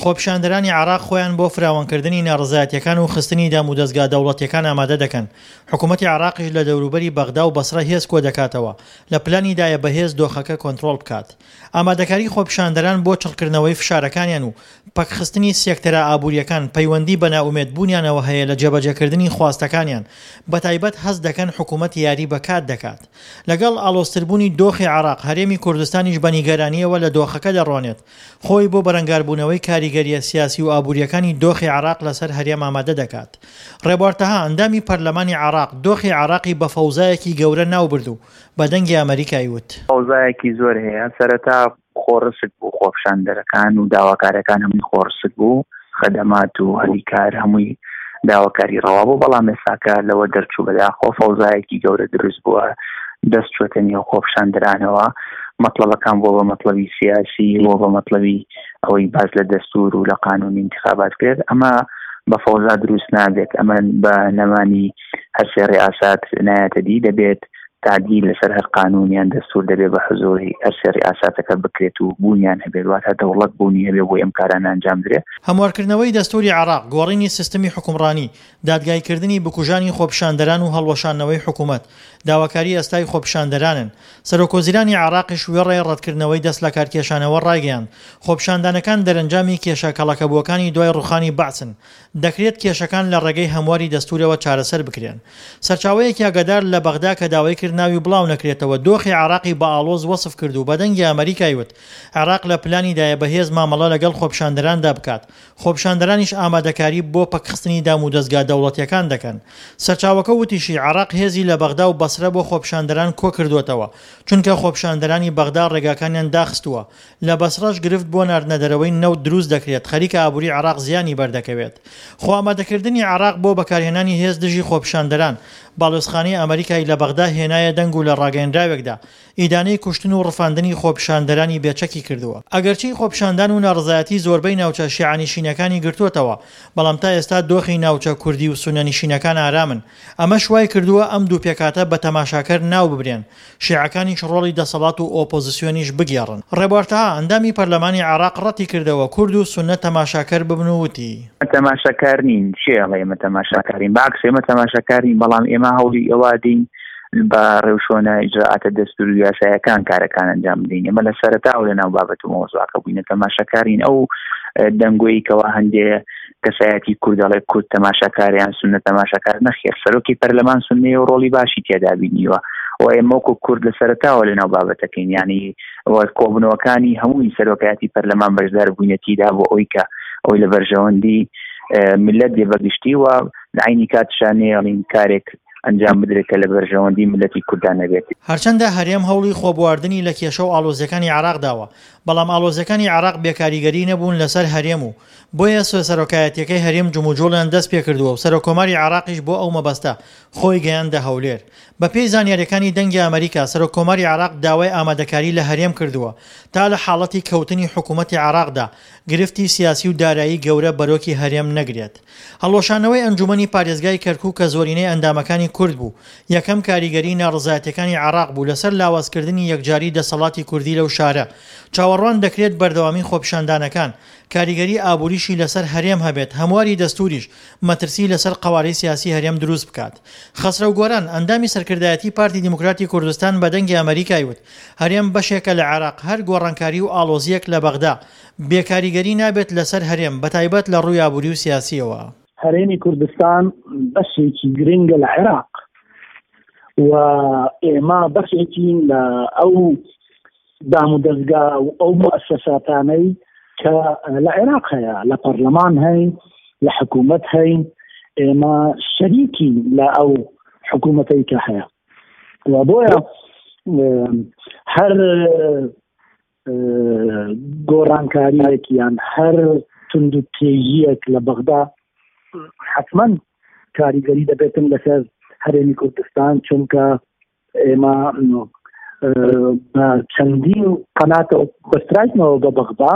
خۆپیشاندەرانی عێراق خۆیان بۆ فراوانکردنی ناڕەزایەتییەکان و خستنی دامودەزگا دەوڵەتییەکان ئامادە دەکەن، حکومەتی عێراقیش لە دەوروبەری بەغدا و بەسرە هێز کۆدەکاتەوە، لە پلانیدایە بە هێز دۆخەکە کۆنترۆڵ بکات. ئامادەکاری خۆپیشاندەران بۆ چڕکردنەوەی فشارەکانیان و پەکخستنی سێکتەرە ئابوورییەکان پەیوەندی بە نائومێدبوونیانەوە هەیە لە جێبەجێکردنی خواستەکانیان، بەتایبەت هەست دەکەن حکومەت یاری بە کات دەکات. لەگەڵ ئاڵۆزتربوونی دۆخی عێراق، هەرێمی کوردستانیش بە نیگەرانییەوە لە دۆخەکە دەڕوانێت، خۆی بۆ بەرەنگاربوونەوەی کاریگەرییە سیاسی و ئابوورییەکانی دۆخی عێراق لەسەر هەرێم ئامادە دەکات. ڕێبوار تەها، ئەندامی پەرلەمانی عێراق، دۆخی عێراقی بە فەوزایەکی گەورە ناوبرد و بە دەنگی ئەمەریکای وت. فەوزایەکی زۆر هەیە، سەرەتا خۆڕسک بوو، خۆپیشاندەرەکان و داواکارەکان هەمووی خۆڕسک بوو، خەدەمات و هەلی کار هەمووی داواکاری ڕەوا بوو، بەڵام ئێستاکە لەوە دەرچوو بەداخەوە فەوزایەکی گەورە دروست بووە، دەست چووەتە نێو خۆپیشاندەرانەوە، مەتڵەبەکان بووە بە مەتڵەبی سیاسی، بووە بە مەتڵەبی ئەوەی باس لە دەستور و لە قانونی ئینتخابات کرد، ئەمە بە فەوزا دروست نابێت، ئەمە بە نەمانی هەرسێ ڕیاسات نایەتە دی، دەبێت تعدیل لەسەر هەر قانون یان دەستور دەبێت بە حزوری هەرسێ ڕیاساتەکە بکرێت و بوونیان هەبێت، واتە دەوڵەت بوونی هەبێت بۆ ئەم کارانە ئەنجام درێت. هەموارکردنەوەی دەستوری عێراق، گۆڕینی سیستمی حوکمڕانی، دادگایکردنی بکوژانی خۆپیشاندەران و هەڵوەشاندنەوەی حکومەت، داواکاری ئێستای خۆپیشاندەرانن. سەرۆکوەزیرانی عێراقیش وێڕای ڕەتکردنەوەی دەستلەکارکێشانەوە ڕایگەیاند، خۆپیشاندانەکان دەرەنجامی کێشە کەڵەکەبووەکانی دوای ڕوخانی بەعسن، دەکرێت کێشەکان لە ڕێگەی هەمواری دەستورەوە چارەسەر بکرێن. سەرچاوەیەکی ئاگادار لە بەغدا کە داوای کرد ناوی بڵاونەکرێتەوە دۆخی عێراقی بە ئاڵۆز وەسف کرد و بە دەنگی ئەمەریکای وت، عێراق لە پلانیدایە بە هێز مامەڵە لەگەڵ خۆپیشاندەراندا بکات، خۆپیشاندەرانیش ئامادەکاری بۆ پەکخستنی دامودەزگا دەوڵەتییەکان دەکەن. سەرچاوەکە وتیشی، عێراق هێزی لە بەغدا و بەسرە بۆ خۆپیشاندەران کۆکردووەتەوە، چونکە خۆپیشاندەرانی بەغدا ڕێگاکانیان داخستووە، لە بەسڕەش گرفت بۆ ناردنەدەرەوەی نەوت دروست دەکرێت، خەریکە ئابووری عێراق زیانی بەردەکەوێت. خۆئامادەکردنی عێراق بۆ بەکارهێنانی هێز دژی خۆپیشاندەران، باڵیۆزخانەی ئەمەریکای لە بەغدا هێنایە دەنگ و لە ڕاگەیەنراوێکدا ئیدانەی کوشتن و ڕفاندنی خۆپیشاندەرانی بێ چەکی کردووە. ئەگەرچی خۆپیشاندان و ناڕەزایەتی زۆربەی ناوچە شیعەنشینەکانی گرتووەتەوە، بەڵام تا ئێستا دۆخی ناوچە کوردی و سوننەنشینەکان ئارامن، ئەمەش وای کردووە ئەم دوو پێکهاتە بە تەماشاکەر ناو ببرێن، شیعەکانیش ڕۆڵی دەسەڵات و ئۆپۆزسیۆنیش بگێڕن. ڕێبوار تەها، ئەندامی پەرلەمانی عێراق ڕەتیکردەوە کورد و سوننە تەماشاکەر ببن و وتی. ئێمە تەماشاکار نین، کێ ئەڵێ ئێمە تەماشاکارین؟ بە عەکس ئێمە تەماشاکار نین، بەڵام ئێمە هەوڵی ئەوە دەین بە ڕێوشۆنە ئیجرائاتە دەستوری و یاسایەکان کارەکان ئەنجام بدەین. ئێمە لە سەرەتاوە لەناو بابەت و مەوزوعەکە بووینە، تەماشاکارین. ئەو دەنگۆی کەوا هەندێ کەسایەتی کورد دەڵێ کورد تەماشاکار یان سوننە تەماشاکار، نەخێر سەرۆکی پەرلەمان سوننەیە و ڕۆڵی باشی تێدا بینیوە و ئێمە وەکو کورد لە سەرەتاوە لەناو بابەتەکەین، یعنی کۆبوونەوەکانی هەمووی سەرۆکایەتی پەرلەمان بەشدار بووینە تیدا بۆ ئەوەی کە ئەوەی لە بەرژەوەندی ملت بێ بەگشتی و لە عەینی کاتشا نەیەڵین کارێک ئەنجام بدرێت کە لە بەرژەوەندی ملەتی کوردان نەبێت. هەرچەندە هەرێم هەوڵی خۆبواردنی لە کێشە و ئاڵۆزییەکانی عێراق داوە، بەڵام ئاڵۆزییەکانی عێراق بێکاریگەری نەبوون لەسەر هەرێم و بۆیە سەرۆکایەتییەکەی هەرێم جموجوڵیان دەستپێکردووە و سەرۆککۆماری عێراقیش بۆ ئەو مەبەستە خۆی گەیاندە هەولێر. بەپێی زانیارییەکانی دەنگی ئەمەریکا، سەرۆککۆماری عێراق داوای ئامادەکاری لە هەرێم کردووە تا لە حاڵەتی کەوتنی حکومەتی عێراقدا گرفتی سیاسی و دارایی گەورە بەرۆکی هەرێم نەگرێت. هەڵوەشانەوەی ئەنجومەنی پارێزگای کەرکوک کە زۆرینەی ئەندامەکانی کورد بوو، یەکەم کاریگەریی ناڕەزایەتییەکانی عێراق بوو لەسەر لاوازکردنی یەکجاری دەسەڵاتی کوردی لەو شارە. چاوەڕوان دەکرێت بەردەوامی خۆپیشاندانەکان کاریگەری ئابووریشی لەسەر هەرێم هەبێت، هەمواری دەستووریش مەترسی لەسەر قەوارەی سیاسی هەرێم دروست بکات. خەسرەو گۆران، ئەندامی سەرکردایەتی پارتی دیموکراتی کوردستان بە دەنگی ئەمەریکای وت، هەرێم بەشێکە لە عێراق، هەر گۆڕانکاری و ئاڵۆزییەک لە بەغدا، بێ کاریگەری نابێت لەسەر هەرێم، بەتایبەت لە ڕووی ئابووری و سیاسییەوە. هەرێمی کوردستان بەشێکی گرنگە لە عێراق و ئێمە بەشێکین لە ئەو دامودەزگا و ئەو موئەسەساتانەی کە لە عێراق هەیە، لە پەرلەمان هەین، لە حکوومەت هەین، ئێمە شەریکین لە ئەو حکوومەتەی کە هەیە و بۆیە هەر گۆڕانکاریەک یان هەر توندوتێژیەک لە بەغدا حتمما کاریگەری دەبێتن لەسەر هەرێمی کوردستان چونکە ئێمە بە چەندین قەناتەوە بەستراینەوە بە بەغدا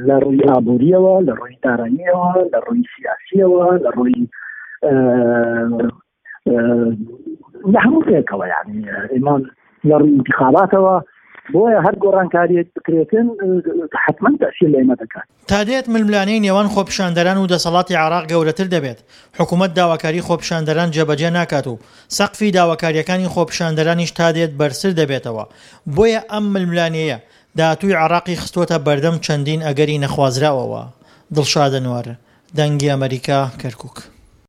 لە ڕووی ئابووریەوە لە ڕووی داراییەوە لە ڕووی سیاسیەوە لە ڕووی لە هەموو پێکەوە یعنی ئێمە لە ڕووی انتخاباتەوە. بۆیە هەر گۆڕانکاریەک بکرێتن حتمما تەسیر لە ئێمە دەکات. تا دێت ململانێی نێوان خۆپیشاندەران و دەسەڵاتی عێراق گەورەتر دەبێت، حکومەت داواکاری خۆپیشاندەران جێبەجێ ناکات و سەقفی داواکارییەکانی خۆپیشاندەرانیش تا دێت بەرزتر دەبێتەوە، بۆیە ئەم ململانێیە داهاتووی عێراقی خستووەتە بەردەم چەندین ئەگەری نەخوازراوەوە. دڵشاد ئەنوەر، دەنگی ئەمەریکا، کەرکوک.